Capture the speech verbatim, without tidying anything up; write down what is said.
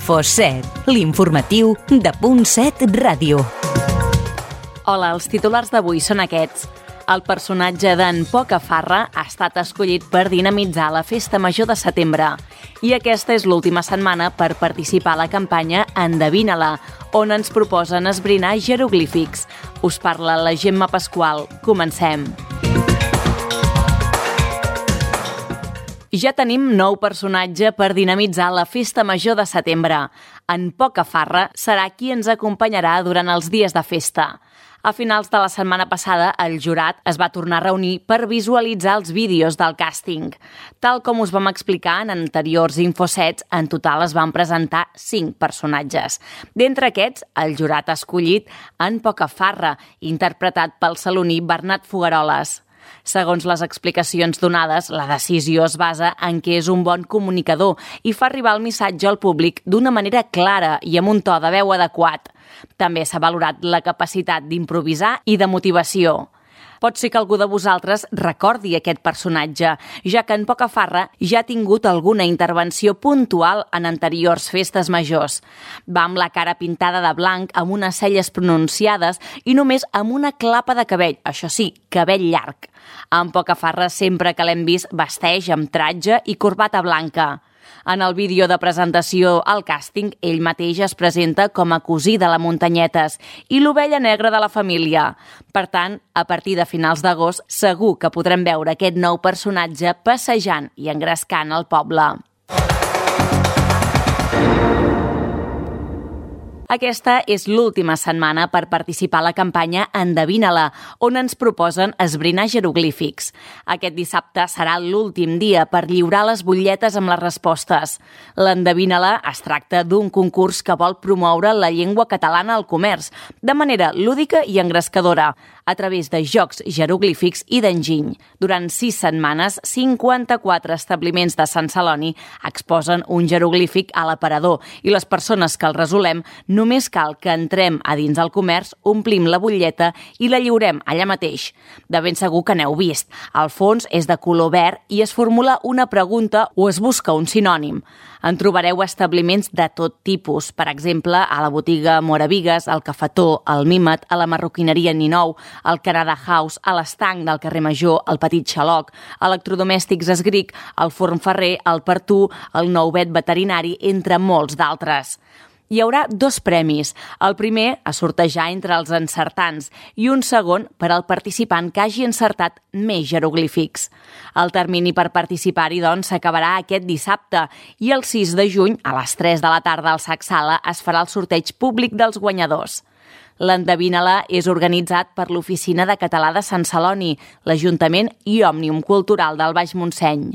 Info set, l'informatiu de Punt set Ràdio. Hola, els titulars d'avui són aquests. El personatge d'en Pocafarra ha estat escollit per dinamitzar la Festa Major de setembre. I aquesta és l'última setmana per participar a la campanya Endevina-la, on ens proposen esbrinar jeroglífics. Us parla la Gemma Pasqual. Comencem. Ja tenim nou personatge per dinamitzar la Festa Major de setembre. En Pocafarra serà qui ens acompanyarà durant els dies de festa. A finals de la setmana passada, el jurat es va tornar a reunir per visualitzar els vídeos del càsting. Tal com us vam explicar en anteriors Infosets, en total es van presentar cinc personatges. D'entre aquests, el jurat ha escollit en Pocafarra, interpretat pel saloní Bernat Fogueroles. Segons les explicacions donades, la decisió es basa en que és un bon comunicador i fa arribar el missatge al públic d'una manera clara i amb un to de veu adequat. També s'ha valorat la capacitat d'improvisar i de motivació. Pot ser que algú de vosaltres recordi aquest personatge, ja que en Pocafarra ja ha tingut alguna intervenció puntual en anteriors festes majors. Va amb la cara pintada de blanc, amb unes celles pronunciades i només amb una clapa de cabell, això sí, cabell llarg. En Pocafarra sempre que l'hem vist vesteix amb tratge i corbata blanca. En el vídeo de presentació al càsting, ell mateix es presenta com a cosí de la Muntanyetes i l'ovella negra de la família. Per tant, a partir de finals d'agost, segur que podrem veure aquest nou personatge passejant i engrescant el poble. Aquesta és l'última setmana per participar a la campanya Endevina-la, on ens proposen esbrinar jeroglífics. Aquest dissabte serà l'últim dia per lliurar les butlletes amb les respostes. L'Endevina-la es tracta d'un concurs que vol promoure la llengua catalana al comerç, de manera lúdica i engrescadora, a través de jocs jeroglífics i d'enginy. Durant sis setmanes, cinquanta-quatre establiments de Sant Celoni exposen un jeroglífic a l'aparador i les persones que el resolem només cal que entrem a dins del comerç, omplim la butlleta i la lliurem allà mateix. De ben segur que n'heu vist. El fons és de color verd i es formula una pregunta o es busca un sinònim. En trobareu establiments de tot tipus, per exemple, a la botiga Moravigues, al Cafetó, al Mímet, a la marroquineria Ninou, al Canada House, a l'Estanc del carrer Major, al Petit Xaloc, Electrodomèstics Esgric, al Forn Ferrer, al Pertú, al Nou Vet Veterinari, entre molts d'altres. Hi haurà dos premis. El primer a sortejar entre els encertants i un segon per al participant que hagi encertat més jeroglífics. El termini per participar-hi, doncs, s'acabarà aquest dissabte i el sis de juny, a les tres de la tarda al Sac Sala, es farà el sorteig públic dels guanyadors. L'Endevina-la és organitzat per l'Oficina de Català de Sant Celoni, l'Ajuntament i Òmnium Cultural del Baix Montseny.